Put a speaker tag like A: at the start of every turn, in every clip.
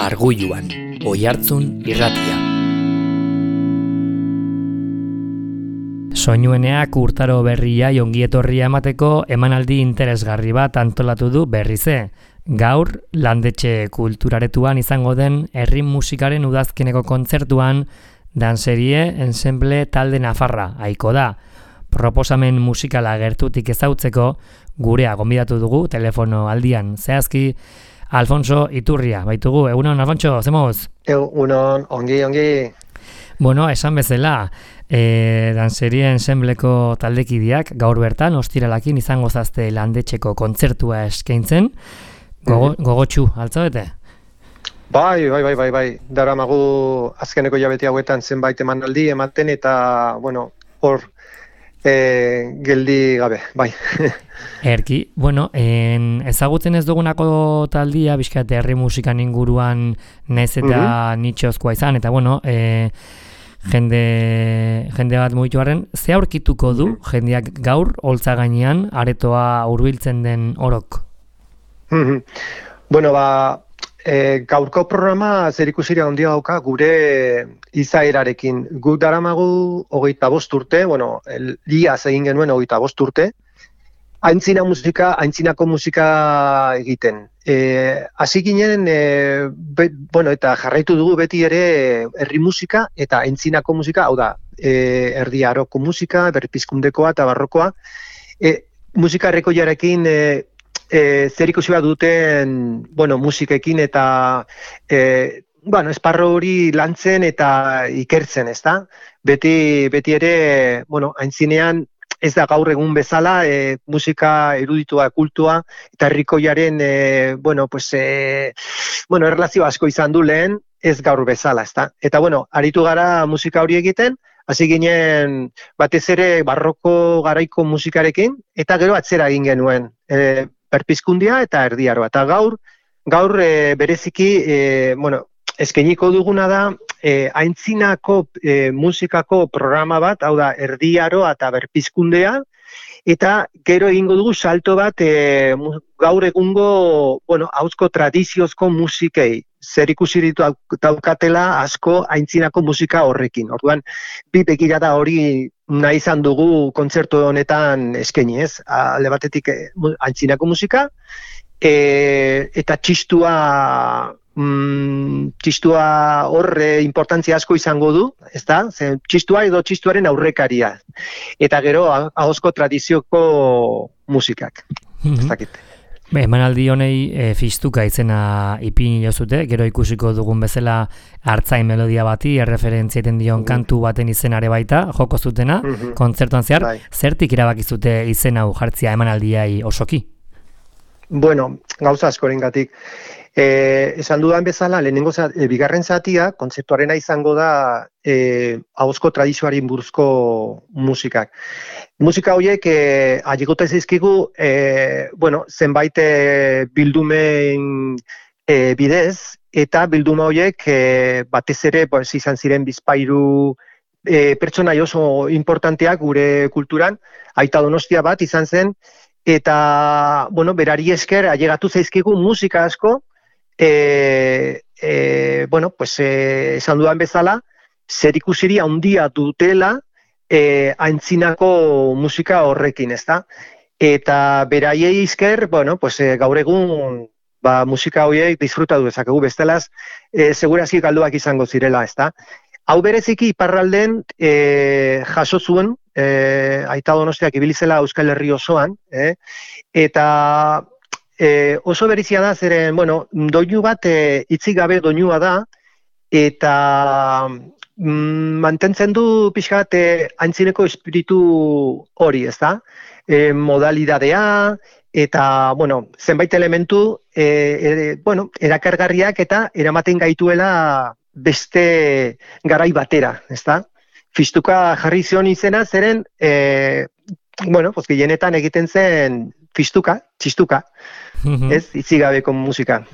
A: Arguluan, Oihartzun irratia. Soinueneak urtaro berria ongietorria emateko emanaldi interesgarri bat antolatu du berrize. Gaur, Landetxe Kulturaretuan izango den herri musikaren udazkeneko kontzertuan danserie ensemble talde nafarra aiko da. Proposamen musikala gertutik ezautzeko gurea gonbidatu dugu telefono aldian. Zehazki, Alfonso Iturria, baitugu. Egunon, Alfonso, zemoz?
B: Egunon, ongi.
A: Bueno, esan bezala, danserie ensembleko taldekideak gaur bertan ostiralakin izango zazte Landetxeko kontzertua eskaintzen. Gogotsu, altzabete?
B: Bai. Daramagu azkeneko hilabete hauetan zenbait emanaldi ematen eta, hor geldi gabe, bai.
A: Erki, ezagutzen ez dugunako taldia, bizkat herri musikan inguruan naiz eta nitxozkoa izan, eta jende bat mugitu harren, ze aurkituko du jendeak gaur holtza gainean aretoa hurbiltzen den orok?
B: Gaurko programa zerikusiria handia dauka gure izaerarekin. Guk daramagu 25 urte, iaz egin genuen 25 urte, aintzinako musika egiten. Hasi ginen, eta jarraitu dugu beti ere herri musika eta aintzinako musika, hau da, erdi aroko musika, berpizkundekoa eta barrokoa. Musika errekoiarekin zer ikusi bat duten musikekin eta esparro hori lantzen eta ikertzen, ezta? Beti ere, aintzinean ez da gaur egun bezala, musika eruditua, kultua eta herrikoiaren erlazio asko izan du lehen, ez gaur bezala, ezta? Eta aritu gara musika hori egiten, hasi ginen batez ere barroko garaiko musikarekin eta gero atzera egin genuen. Berpizkundia eta erdiaroa. Eta gaur bereziki, eskainiko duguna da, aintzinako musikako programa bat, hau da, erdiaroa eta berpizkundea, eta gero egingo dugu salto bat gaur egungo, ahozko tradiziozko musikei. Zer ikusi daukatela asko aintzinako musika horrekin. Orduan, bi begirada hori nahi izan dugu kontzertu honetan eskaini, ez? Alde batetik aintzinako musika, eta txistua horre importantzia asko izango du, ezta? Txistua edo txistuaren aurrekaria. Eta gero, ahozko tradizioko musikak. Ez dakit.
A: Emanaldi honei Fistuka izena ipini jozute, gero ikusiko dugun bezala hartzain melodia bati, erreferentziaten dion kantu baten izenare baita, joko zutena, kontzertuan zehar, zertik erabakizute izen hau jartzia emanaldiai osoki?
B: Gauza askorengatik. Esan dudan bezala, bigarren zatia, kontzeptuarena izango da ahozko tradizioaren buruzko musikak. Musika horiek ailegota zaizkigu, zenbait bildumen bidez, eta bilduma horiek batez ere izan ziren bizpahiru pertsonai oso importanteak gure kulturan, Aita Donostia bat izan zen, eta berari esker ailegatu zaizkigu musika asko, esan dudan bezala, zerikusiria handia dutela aintzinako musika horrekin, ezta? Eta beraiei esker, gaur egun musika horiek disfrutatu dezakegu, bestelaz, segurazki galduak izango zirela, ezta? Hau bereziki iparralden jaso zuen, Aita Donostiak ibili zela Euskal Herri osoan, eta oso berezia da, zeren, doinu bat hitzik gabe doinua da, eta mantentzen du pixka bat aintzineko espiritu hori, ezta? Modalidadea, eta, zenbait elementu, erakargarriak eta eramaten gaituela beste garai batera, ezta? Fistuka jarri zion izena, zeren, gehienetan egiten zen txistuka, ez, itzigabeko musika.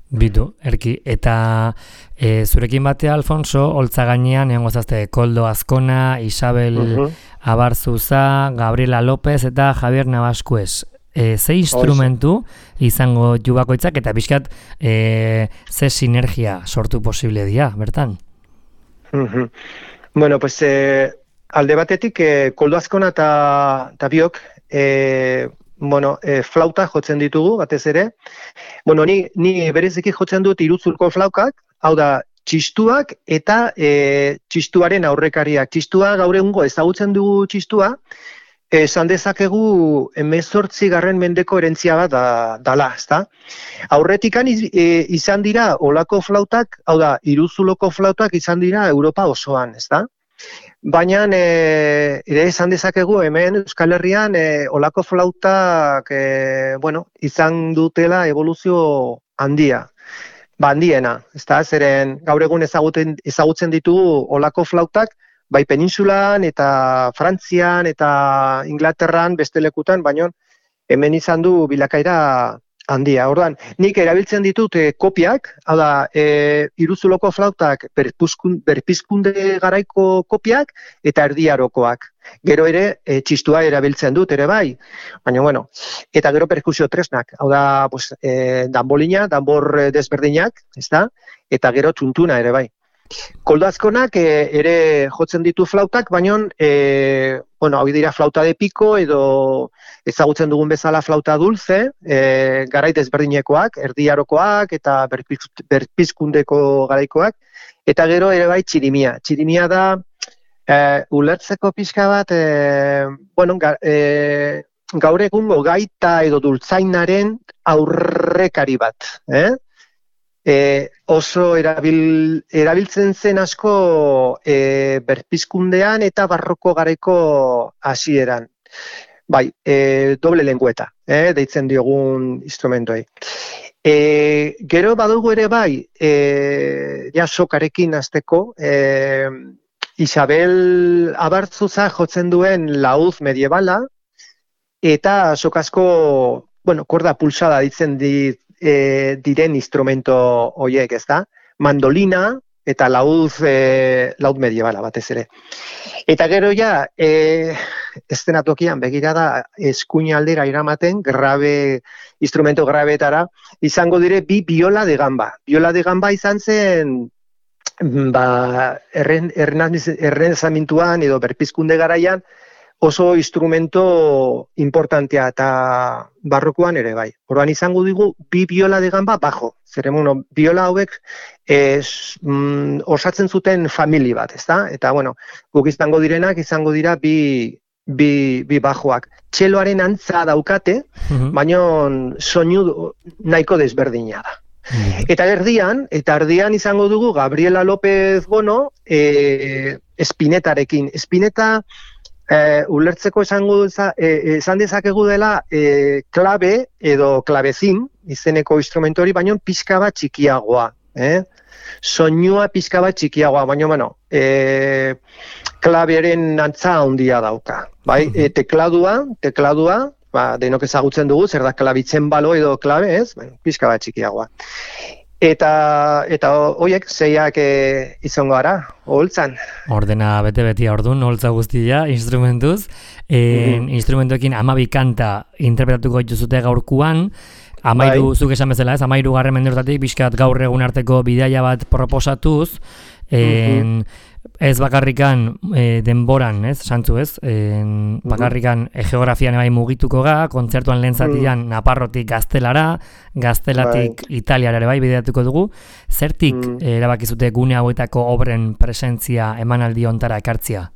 A: Bitu, Erki, eta zurekin batea, Alfonso, holtza gainean, egon gozazte, Koldo Azkona, Isabel Abarzuza, Gabriela López eta Javier Navaskuez. ze instrumentu izango ju bakoitzak eta pixkat ze sinergia sortu posible dira, bertan?
B: Bueno, pues alde batetik Koldo Azkona eta biok flauta jotzen ditugu, batez ere. Bueno, ni bereziki jotzen dut iruzulko flaukak, hau da, txistuak eta txistuaren aurrekariak. Txistua gaur egungo ezagutzen dugu txistua, esan dezakegu 18. mendeko erentzia bat dala, ezta? Aurretikan izan dira olako flautak, hau da, iruzuloko flautak izan dira Europa osoan, ezta? Baina ere esan dezakegu hemen Euskal Herrian olako flautak izan dutela evoluzio handia. Handiena, ezta? Zeren gaur egun ezagutzen ditugu olako flautak bai Penintsulan eta Frantzian eta Inglaterran beste lekutan, baina hemen izan du bilakaera handia. Orduan, nik erabiltzen ditut kopiak, hau da, iruzuloko flautak berpizkunde garaiko kopiak eta erdiarokoak. Gero ere, txistua erabiltzen dut ere bai, baina bueno, eta gero perkusio tresnak, hau da, danbolina, danbor desberdinak, ezta? Eta gero txuntuna ere bai. Koldo Azkonak ere jotzen ditu flautak, baina hau dira flauta de piko edo ezagutzen dugun bezala flauta dulce, garai desberdinekoak, erdiarokoak eta berpizkundeko garaikoak, eta gero ere bai txirimia. Txirimia da ulertzeko pixka bat, gaur egungo gaita edo dultzainaren aurrekari bat, oso erabiltzen zen asko berpizkundean eta barroko garaiko hasieran. Bai, doble lengüeta, deitzen diogun instrumentoei. Gero badugu ere bai, sokarekin hasteko, Isabel Abartzuza jotzen duen laúd mediebala, eta sokasko, korda pulsada ditzen diren instrumento horiek, ezta? Mandolina eta laúd mediebala batez ere. Eta gero ja, eszenatokian begirada eskuin aldera iramaten, instrumento grabetara, izango dire bi biola de gamba. Biola de gamba izan zen, errenazimentuan edo berpizkunde garaian, oso instrumento importantea eta barrokoan ere bai. Orduan izango dugu bi biola de gamba bajo. Zeren, biola hauek osatzen zuten famili bat, ezta? Eta, guk izango dira bi bajoak. Txeloaren antza daukate, baina soinu nahiko desberdina da. Eta erdian izango dugu Gabriela López Bono espinetarekin. Espineta ulertzeko esan dezakegu dela klabe edo klabezin izeneko instrumento hori, baina pixka bat txikiagoa. Soinua pixka bat txikiagoa, baina klabearen antza handia dauka. Tekladua, denok ezagutzen dugu, zer da klabitzen balo edo klabe, ez? Pixka bat txikiagoa. Eta horiek zeiak izango gara, oholtzan.
A: Ordena bete-betia ordun, oholtza guztia, instrumentuz. Instrumentoekin 12 kanta interpretatuko dituzute gaurkuan. 13, zuk esan bezala ez, 13. mendeurtatik, bizkat gaur egun arteko bidaia bat proposatuz. Ez bakarrikan denboran, ez, santzu ez, bakarrikan geografian bai mugituko ga, kontzertuan lehen zatian Naparrotik Gaztelatik Italiara ere bai bideatuko dugu. Zertik erabakizute gune hauetako obren presentzia emanaldi hontara ekartzia?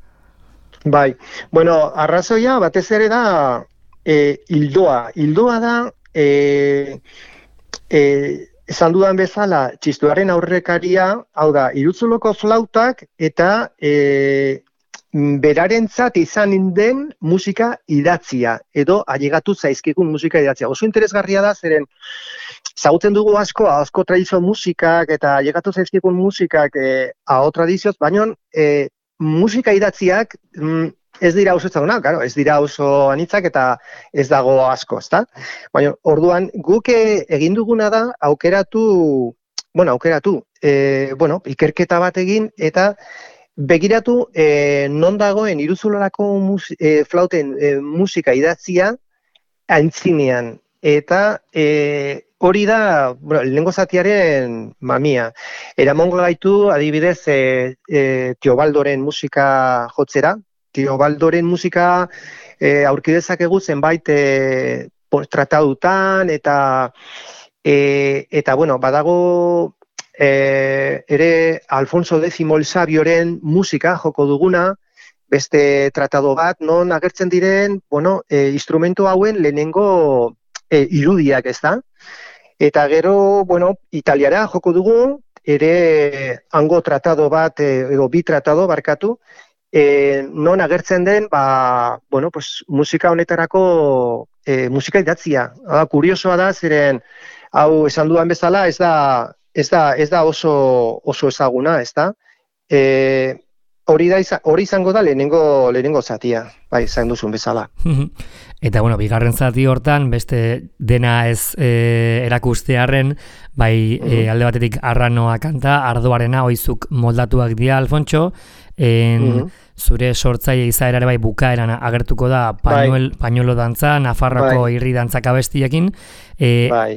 B: Bai, arrazoia batez ere da hildoa. Hildoa da, esan dudan bezala, txistuaren aurrekaria, hau da, iruzuloko flautak eta berarentzat izan den musika idatzia, edo ailegatu zaizkigun musika idatzia. Oso interesgarria da, zeren ezagutzen dugu asko tradizio musikak eta ailegatu zaizkigun musikak aho tradizioz, baina musika idatziak ez dira oso ezagunak, ez dira oso anitzak eta ez dago asko, ezta? Baina, orduan, guk egin duguna da aukeratu, ikerketa bat egin eta begiratu non dagoen iruzulorako flauten musika idatzia aintzinean. Eta hori da, bueno, lehenengo zatiaren mamia. Eramongo gaitu, adibidez, Teobaldoren musika jotzera. Teobaldoren musika aurki dezakegu zenbait tratadutan, eta bueno, badago ere Alfonso X el Sabioren musika joko duguna, beste tratado bat, non agertzen diren, bueno, instrumento hauen lehenengo irudiak, ez da? Eta gero, bueno, italiara joko dugu, ere hango tratado bat, edo bi tratado barkatu, non agertzen den, bueno, pues, musika honetarako musika idatzia. Kuriosoa da, zeren, hau esan dudan bezala, ez da oso ezaguna, ez da? Hori izango da lehenengo zatia, bai, zain duzun bezala.
A: Eta, bueno, bigarren zati hortan, beste dena ez erakustearren, bai, alde batetik Arranoa kanta, Ardoarena, oizuk moldatuak dira, Alfontxo, zure sortzaile izaerare bai bukaeran agertuko da pañuelo dantza, Nafarroko irri dantzak abestiekin.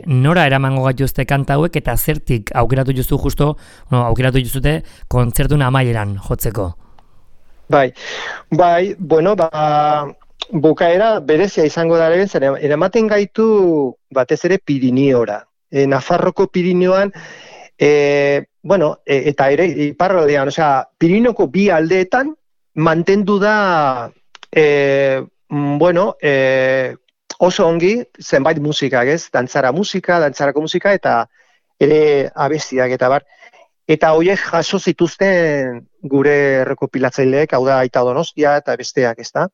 A: Nora eramango gaituzte kanta hauek eta zertik aukeratu juzute kontzertun amaieran jotzeko?
B: Bai, bueno, bukaera berezia izango da ere, eramaten gaitu batez ere Pirineora. Nafarroko Pirineoan, bueno, eta ere iparraldean, osea, Pirinoko bi aldeetan mantendu da, bueno, oso ongi zenbait musikak, ez? Dantzarako musika eta ere abestiak eta bar. Eta horiek jaso zituzten gure rekopilatzaileek, hau da Aita Donostia eta besteak, ez da?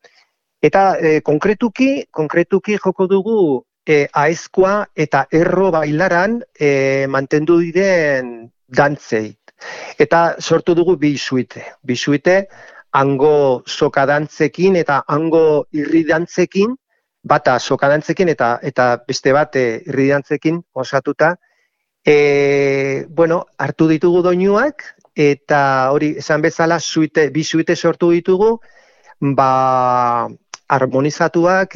B: Eta konkretuki joko dugu aezkoa eta erro bailaran mantendu diren dantzei. Eta sortu dugu bi suite, hango soka dantzekin eta hango irri dantzekin, bata soka dantzekin eta beste bat irri dantzekin osatuta. Bueno, hartu ditugu doinuak eta hori esan bezala bi suite sortu ditugu, harmonizatuak,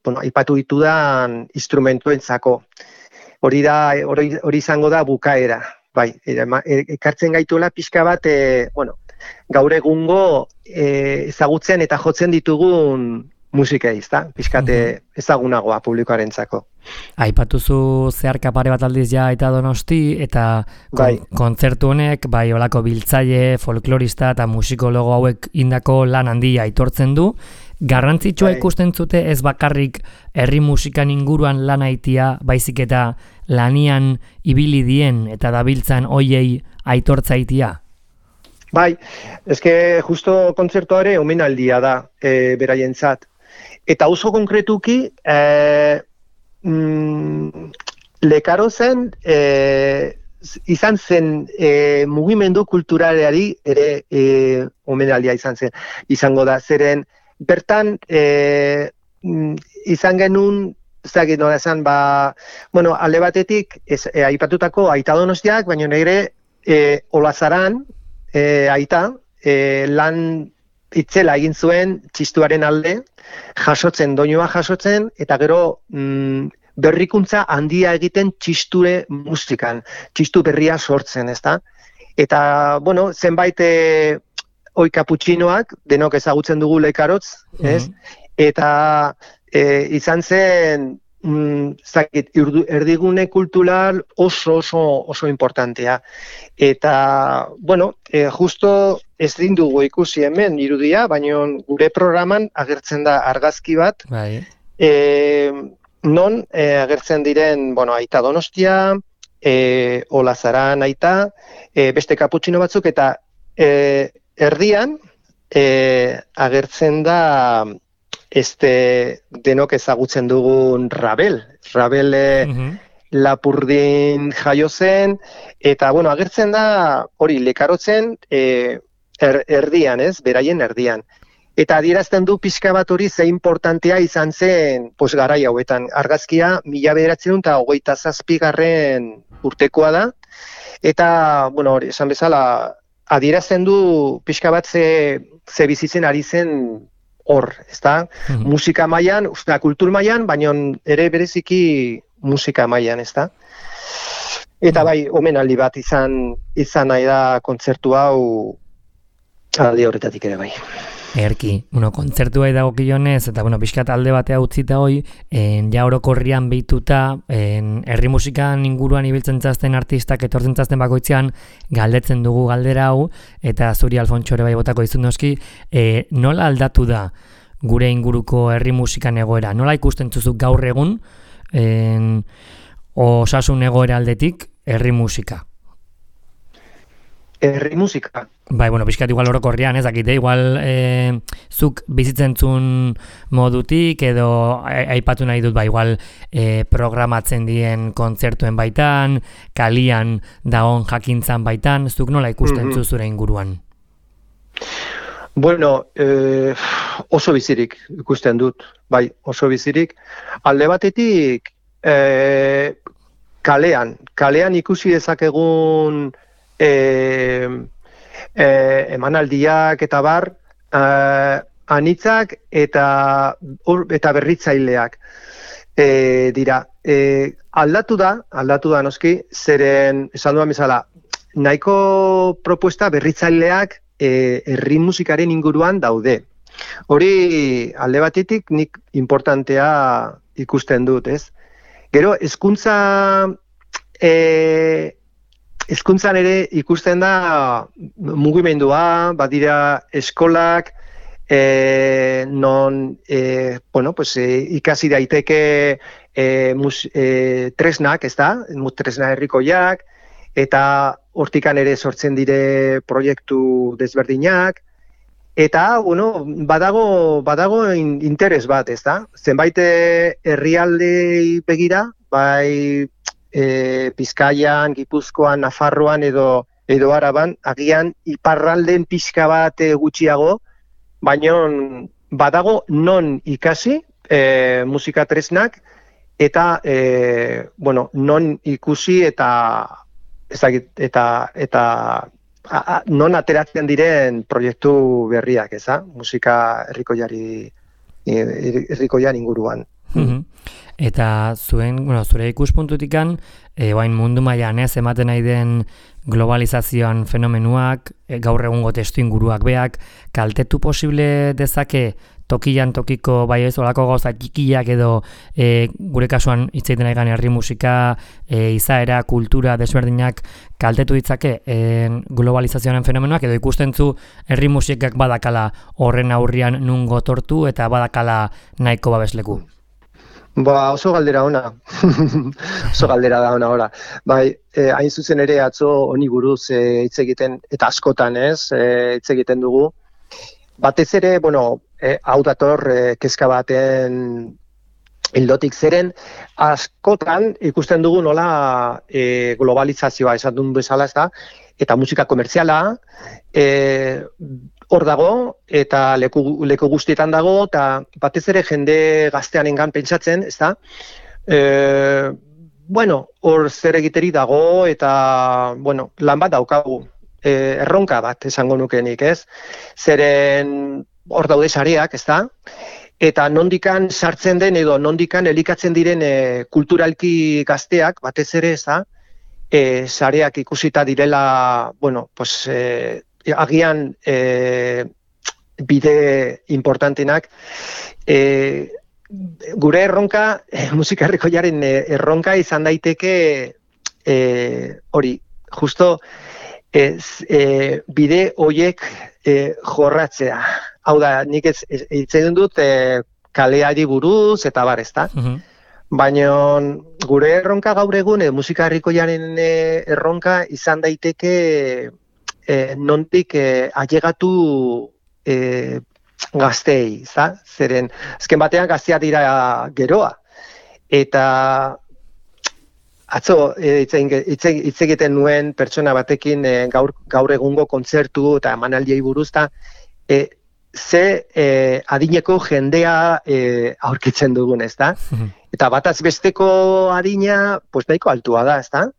B: bueno, aipatu ditudan instrumentuentzako. Hori izango da bukaera. Bai, ekartzen gaituela pixka bat, bueno, gaur egungo ezagutzen eta jotzen ditugun musikei, ezta? Pixkate ezagunagoa publikoarentzako.
A: Aipatuzu zeharka pare bat aldiz ja Aita Donosti eta kontzertu honek, bai, olako biltzaile, folklorista eta musikologo hauek indako lan handia aitortzen du. Garrantzitsua ikusten zute ez bakarrik herri musikan inguruan lan aitia, baizik eta lanian ibili dien eta dabiltzan hoiei aitortzaitia?
B: Bai, eske justo kontzertuare omenaldia da beraientzat. Eta oso konkretuki, Lekaro zen, izan zen mugimendu kulturaleari ere omenaldia izango da. Zeren, bertan izan genuen, ezagit nola esan, bueno, alde batetik aipatutako Aita Donostiak, baina nire Olazaran Aita lan itzela egin zuen txistuaren alde, doinua jasotzen, eta gero berrikuntza handia egiten txisture musikan, txistu berria sortzen, ezta? Eta, bueno, zenbait kaputxinoak, denok ezagutzen dugu Lekarotz, ez? Eta izan zen, erdigune kultural oso importantea. Eta, bueno, justo ez dugu ikusi hemen irudia, baina gure programan agertzen da argazki bat, non agertzen diren, bueno, Aita Donostia, Olazaran Aita, beste kaputxino batzuk, eta erdian agertzen da denok ezagutzen dugun Rabel Lapurdin jaio zen, eta, bueno, agertzen da hori Lekarotzen erdian, ez, beraien erdian. Eta adierazten du pixka bat hori ze importantea izan zen garai hauetan. Argazkia 1927 urtekoa da, eta, bueno, hori, esan bezala, adierazten du pixka bat ze bizitzen ari zen hor, ezta? Musika mailan, kultur mailan, baina ere bereziki musika mailan, ezta? Eta bai, omenaldi bat izan nahi da kontzertu hau alde horretatik ere bai.
A: Erki, kontzertua dagokionez, eta pixkat alde batea utzita hoi, ja orokorrian behituta, herri musikan inguruan ibiltzen zazten artistak etortzen zazten bakoitzean, galdetzen dugu galdera hau, eta zuri Alfontxo ere bai botako izun noski, nola aldatu da gure inguruko herri musikan egoera? Nola ikusten zuzuk gaur egun, osasun egoera aldetik, herri musika?
B: Herri musika?
A: Bai, pixkat igual orokorrian, ez dakite, igual zuk bizitzen zuen modutik, edo aipatu nahi dut, igual programatzen dien kontzertuen baitan, kalian dagoen jakintzan baitan, zuk nola ikusten zure inguruan?
B: Bueno, oso bizirik ikusten dut, bai, oso bizirik. Alde batetik, kalean ikusi dezakegun emanaldiak eta bar, anitzak eta berritzaileak dira. Aldatu da noski, zeren, esan duan bezala, nahiko propuesta berritzaileak herri musikaren inguruan daude. Hori alde batetik nik importantea ikusten dut, ez? Gero, hezkuntzan ere ikusten da mugimendua, badira eskolak, non ikasi daiteke tresnak, ez da? Tresna herrikoiak, eta hortikan ere sortzen dire proiektu desberdinak, eta, badago interes bat, ez da? Zenbait herrialdei begira, bai Bizkaian, Gipuzkoan, Nafarroan edo Araban, agian iparralden pixka bat gutxiago, baina badago non ikasi musika tresnak, eta non ikusi eta non ateratzen diren proiektu berriak, eza? Musika herrikoian inguruan.
A: Eta zure ikuspuntutikan, oain mundu mailan ematen nahi den globalizazioan fenomenuak, gaur egungo testu inguruak beak, kaltetu posible dezake tokian tokiko bai ez olako gauza txikiak edo gure kasuan hitz egiten ari herri musika, izaera, kultura desberdinak kaltetu ditzake globalizazioaren fenomenoak, edo ikusten zu herri musikak badakala horren aurrian nun gotortu eta badakala nahiko babesleku?
B: Oso galdera ona. Oso galdera da ona, ora. Bai, hain zuzen ere atzo honi buruz hitz egiten, eta askotan hitz egiten dugu. Batez ere, hau dator kezka baten ildotik zeren, askotan ikusten dugu nola globalizazioa esan duen bezala, ez da, eta musika komertziala, hor dago, eta leku guztietan dago, eta batez ere jende gazteanengan pentsatzen, ez da? Hor zer egiteri dago, eta, lan bat daukagu, erronka bat esango nukenik, ez? Zeren hor daude sareak, ez da? Eta nondikan sartzen den edo nondikan elikatzen diren kulturalki gazteak, batez ere, ez da? Sareak ikusita direla, agian bide importantenak, gure erronka, musika herrikoiaren erronka izan daiteke hori, justo bide hoiek jorratzea. Hau da, nik hitz egin dut kaleari buruz eta bar, ezta? Baina gure erronka gaur egun, musika herrikoiaren erronka izan daiteke nondik ailegatu gazteei, zeren azken batean gaztea dira geroa. Eta atzo hitz egiten nuen pertsona batekin gaur egungo kontzertu eta emanaldiei buruz, ze adineko jendea aurkitzen dugun, ezta? Eta bataz besteko adina, nahiko altua da, ezta?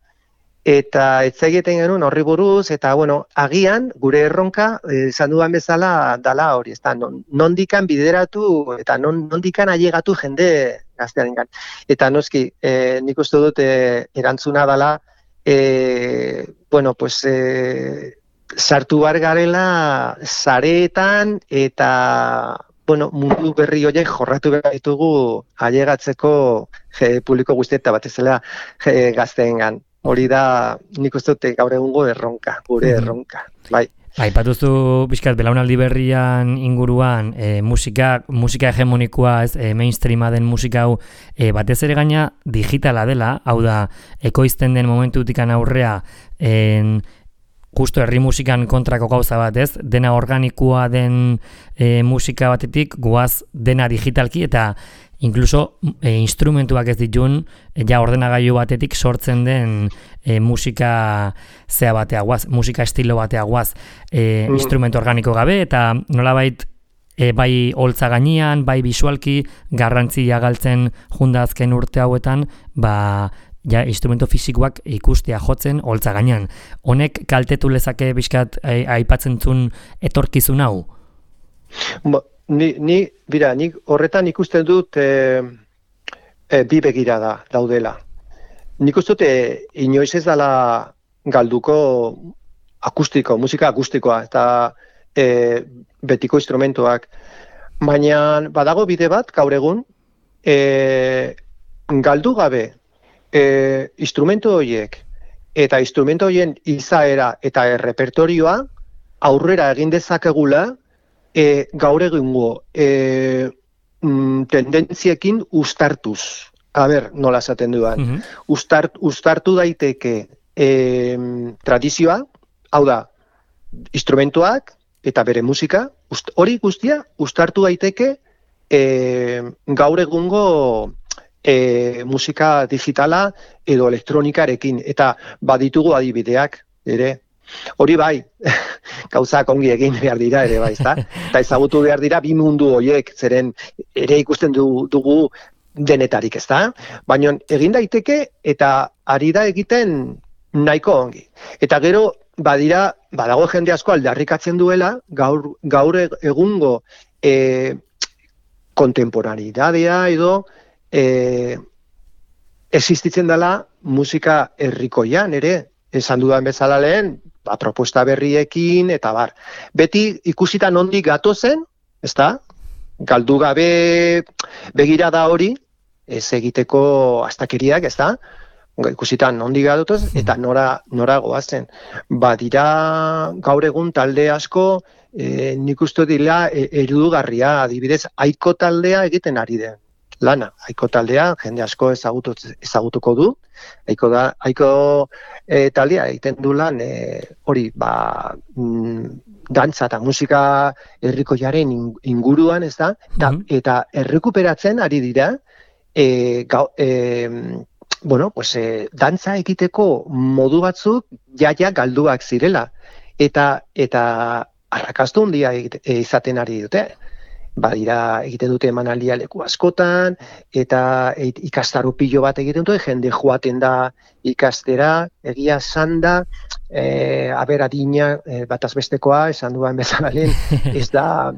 B: eta etzegiten genuen horri buruz, eta bueno, agian gure erronka, esan dudan bezala, dala hori, ezta, nondikan bideratu, eta nondikan ailegatu jende gaztearengan. Eta noski, nik uste dut erantzuna dala, bueno, pues, sartu bar garela sareetan, eta bueno, mundu berri horiek jorratu behar ditugu ailegatzeko publiko guztieta batez dela gazteengan. Hori da, nik uste dut gaur egungo erronka, gure erronka, bai.
A: Aipatuzu pixkat belaunaldi berrian inguruan musika hegemonikoa, mainstreama den musika hau batez ere gaina digitala dela, hau da, ekoizten den momentutikan aurrea justo herri musikan kontrako gauza bat, ez? Dena organikoa den musika batetik, goaz dena digitalki eta inkluso instrumentuak ez ditun, ja ordenagailu batetik sortzen den musika zea batea guaz, musika estilo batea guaz, instrumentu organiko gabe, eta nolabait bai holtza gainean, bai bisualki garrantzia galtzen junda azken urte hauetan, ja instrumento fisikoak ikustea jotzen holtza gainean. Honek kaltetu lezake bizkat aipatzen zuen etorkizun hau?
B: Nik horretan ikusten dut bi begirada daudela. Nik uste dut inoiz ez dela galduko musika akustikoa eta betiko instrumentuak. Baina badago bide bat gaur egun galdu gabe instrumentu horiek eta instrumentu horien izaera eta errepertorioa aurrera egin dezakegula gaur egungo tendentziekin uztartuz. A ber, nola esaten duan. Uztartu daiteke tradizioa, hau da, instrumentuak eta bere musika, hori guztia uztartu daiteke gaur egungo musika digitala edo elektronikarekin, eta baditugu adibideak ere. Hori bai, gauzak ongi egin behar dira ere bai, ezta? Eta ezagutu behar dira bi mundu horiek, zeren ere ikusten dugu denetarik, ezta? Baina egin daiteke eta ari da egiten nahiko ongi. Eta gero badago jende asko aldarrikatzen duela gaur egungo kontemporaneidadea edo existitzen dela musika herrikoian ere, esan dudan bezala lehen, propuesta berriekin eta bar. Beti ikusita nondik gatozen, ezta? Galdu gabe begirada hori, ez egiteko astakeriak, ezta? Ikusita nondik gatoz eta nora goazen. Badira gaur egun talde asko, nik uste dira erudugarria, adibidez, Aiko taldea egiten ari den lana. Aiko taldea jende asko ezagutuko du. Aiko taldea egiten du lan hori dantza eta musika herrikoiaren inguruan, ez da? Eta errekuperatzen ari dira dantza egiteko modu batzuk jaia galduak zirela. Eta arrakastu handia izaten ari dute. Badira egiten dute emanaldia leku askotan, eta ikastaro pilo bat egiten dute, jende joaten da ikastera, egia esan da, adina bataz bestekoa, esan duan bezala lehen, ez da,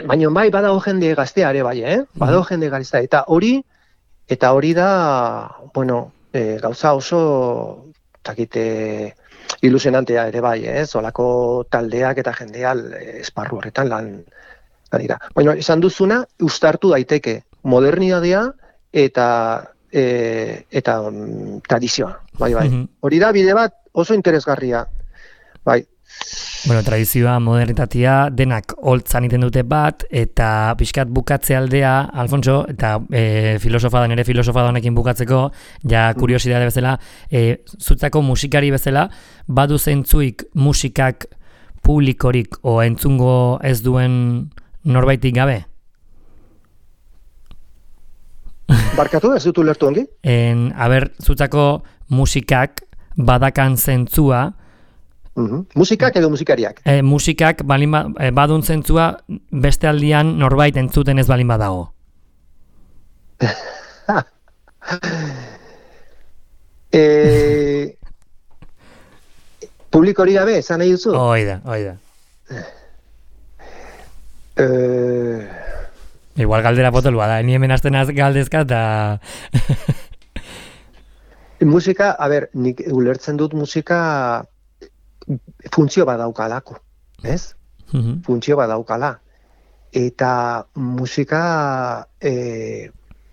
B: baina bai badago jende gaztea ere bai, badago jende gaztea, eta hori da, bueno, gauza oso, takite, ilusionantea ere bai, zolako taldeak eta jendea esparru horretan lan dira. Baina, esan duzuna, uztartu daiteke modernidadea eta tradizioa. Bai. Hori da, bide bat oso interesgarria. Bai.
A: Bueno, tradizioa, modernitatea, denak holtzan iten dute bat, eta pixkat bukatze aldea, Alfonso, eta nire filosofa honekin bukatzeko, ja kuriosidade bezala, zutzako musikari bezala, badu zentzuik musikak publikorik o entzungo ez duen norbaitik gabe?
B: Barkatu, ez dut ulertu ongi?
A: Zutzako musikak badakan zentzua.
B: Musikak edo musikariak?
A: Musikak badun zentzua beste aldian norbait entzuten ez balin badago.
B: Publikori gabe, esan nahi duzu?
A: Oida. Igual galdera potolua da, ni hemen hasten galdezka eta...
B: Musika, nik ulertzen dut musika funtzio badaukalako, ez? Funtzio badaukala. Eta musika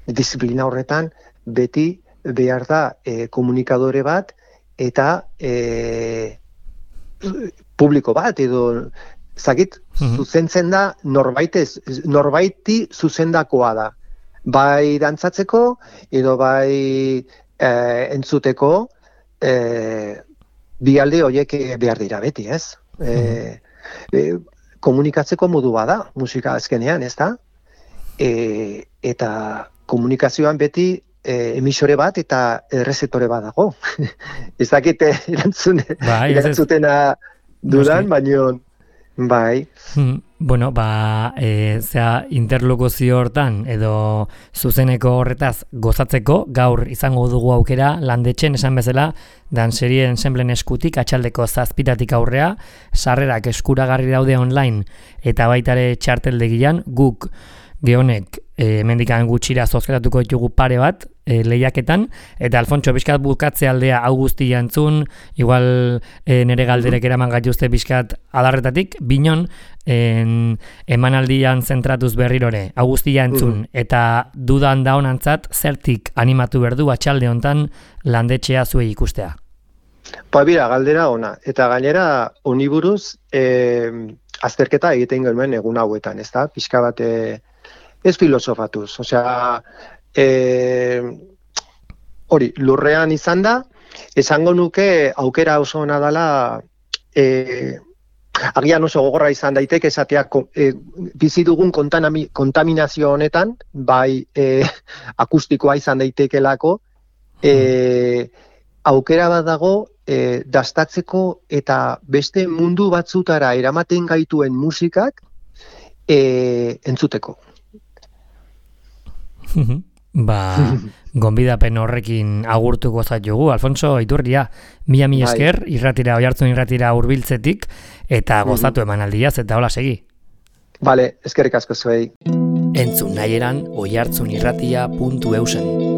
B: disiplina horretan beti behar da komunikadore bat eta publiko bat edo zuzentzen da norbaiti zuzendakoa da. Bai dantzatzeko edo bai entzuteko bi alde horiek behar dira beti, ez? Komunikatzeko modu bada musika azkenean, ez da? Eta komunikazioan beti emisore bat eta errezektore bat dago. Ez dakite erantzutena dudan, baino bai.
A: Bueno, interlokuzio hortan edo zuzeneko horretaz gozatzeko, gaur izango dugu aukera landetxen esan bezala, danserien ensemblen eskutik, atxaldeko 7 aurrea, sarrerak eskuragarri daude online eta baitare txarteldegian, guk gehonek mendikan gutxira zozketatuko ditugu pare bat lehiaketan, eta Alfontxo bizkat bukatze aldea hau guztia entzun, igual nere galderek eraman gaituzte bizkat adarretatik, binon emanaldian zentratuz berrirore, hau guztia entzun, eta dudan da honantzat, zertik animatu berdu atxalde hontan landetxea zuei ikustea?
B: Bira, galdera ona, eta gainera oniburuz azterketa egiten genuen egun hauetan, ez da? Pixka bat ez filosofatuz, osea, hori, lurrean izan da, esango nuke aukera oso ona dela, agian oso gogorra izan daiteke esatea bizi dugun kontaminazio honetan, bai akustikoa izan daitekelako, aukera bat dago dastatzeko eta beste mundu batzutara eramaten gaituen musikak entzuteko.
A: Gonbidapen horrekin agurtuko zaitugu. Alfonso Iturria, mila esker, Oihartzun irratira hurbiltzetik eta gozatu emanaldiaz eta hola segi.
B: Bale, eskerrik asko zuei.
A: Entzun nahieran oihartzunirratia.eusen.